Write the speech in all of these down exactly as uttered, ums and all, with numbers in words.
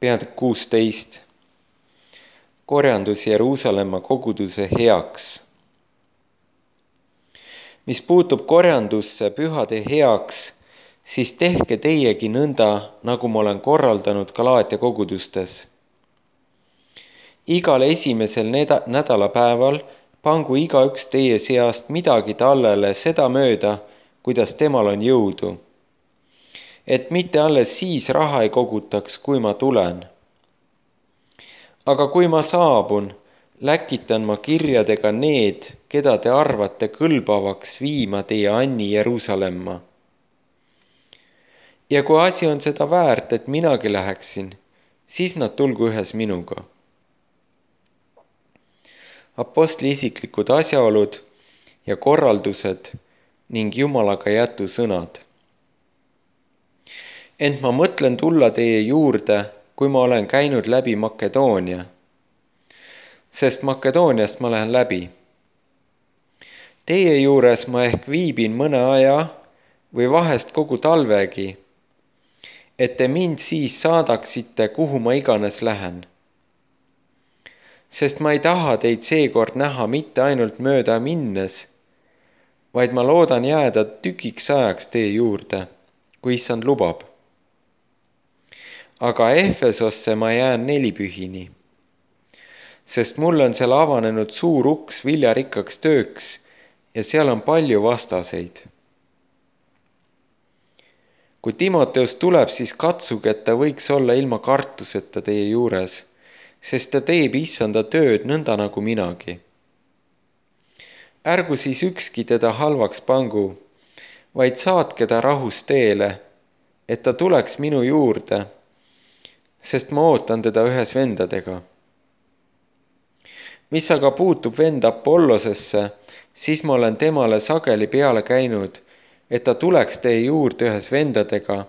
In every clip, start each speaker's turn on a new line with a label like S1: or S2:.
S1: peatükk kuusteist. Korjandus Jeruusalemma koguduse heaks. Mis puutub korjandusse pühade heaks, siis tehke teiegi nõnda, nagu ma olen korraldanud Galaatia kogudustes. Igal esimesel neda- nädalapäeval pangu igaüks teie seast midagi tallele seda mööda, kuidas temal on jõudu. Et mitte alles siis raha ei kogutaks, kui ma tulen. Aga kui ma saabun, läkitan ma kirjadega need, keda te arvate kõlbavaks viima teie anni Jeruusalemma. Ja kui asi on seda väärt, et minagi läheksin, siis nad tulgu ühes minuga. Apostli isiklikud asjaolud ja korraldused ning Jumalaga jätu sõnad. Ent ma mõtlen tulla teie juurde, kui ma olen käinud läbi Makedoonia, sest Makedooniast ma lähen läbi. Teie juures ma ehk viibin mõne aja või vahest kogu talvegi, et te mind siis saadaksite, kuhu ma iganes lähen. Sest ma ei taha teid seekord näha mitte ainult mööda minnes, vaid ma loodan jääda tükiks ajaks teie juurde, kui issand lubab. Aga Efesosse ma jään nelipühini, sest mul on seal avanenud suur uks viljarikkaks tööks ja seal on palju vastaseid. Kui Timoteus tuleb, siis katsuge, et ta võiks olla ilma kartuseta teie juures, sest ta teeb issanda tööd nõnda nagu minagi. Ärgu siis ükski teda halvaks pangu, vaid saatke ta rahus teele, et ta tuleks minu juurde, sest ma ootan teda ühes vendadega. Mis aga puutub vend Apollosesse, siis ma olen temale sageli peale käinud, et ta tuleks teie juurde ühes vendadega,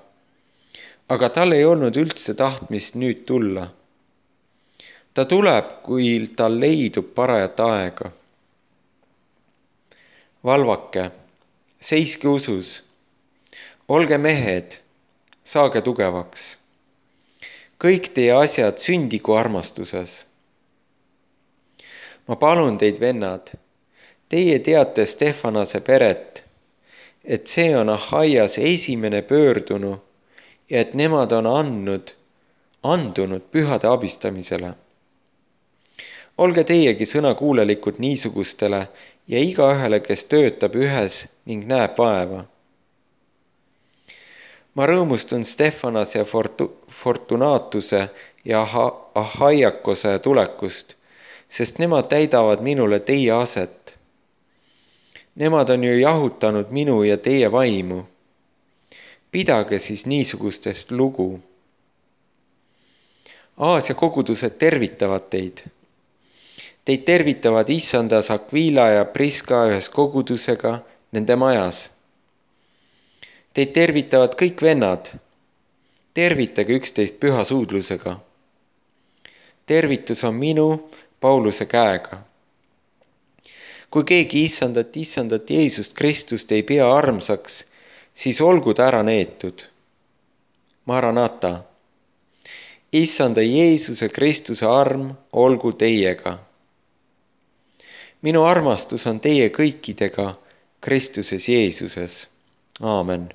S1: aga tal ei olnud üldse tahtmist nüüd tulla. Ta tuleb, kui tal leidub parajat aega. Valvake, seiske usus, olge mehed, saage tugevaks. Kõik teie asjad sündigu armastuses. Ma palun teid, vennad, teie teate Stefanase peret, et see on Ahaias esimene pöördunu ja et nemad on andnud, andunud pühade abistamisele. Olge teiegi sõnakuulelikud niisugustele ja igaühele, kes töötab ühes ning näeb vaeva. Ma rõõmustun Stefanase ja Fortu- Fortunatuse ja Ahaiakose tulekust, sest nemad täidavad minule teie aset. Nemad on ju jahutanud minu ja teie vaimu. Pidage siis niisugustest lugu. Aasia kogudused tervitavad teid. Teid tervitavad issandas Aquila ja Priska ühes kogudusega nende majas. Teid tervitavad kõik vennad. Tervitage üksteist püha suudlusega. Tervitus on minu Pauluse käega. Kui keegi issandat, issandat Jeesust Kristust ei pea armsaks, siis olgu ta ära neetud. Maranata. Issanda Jeesuse Kristuse arm olgu teiega. Minu armastus on teie kõikidega Kristuses Jeesuses. Aamen.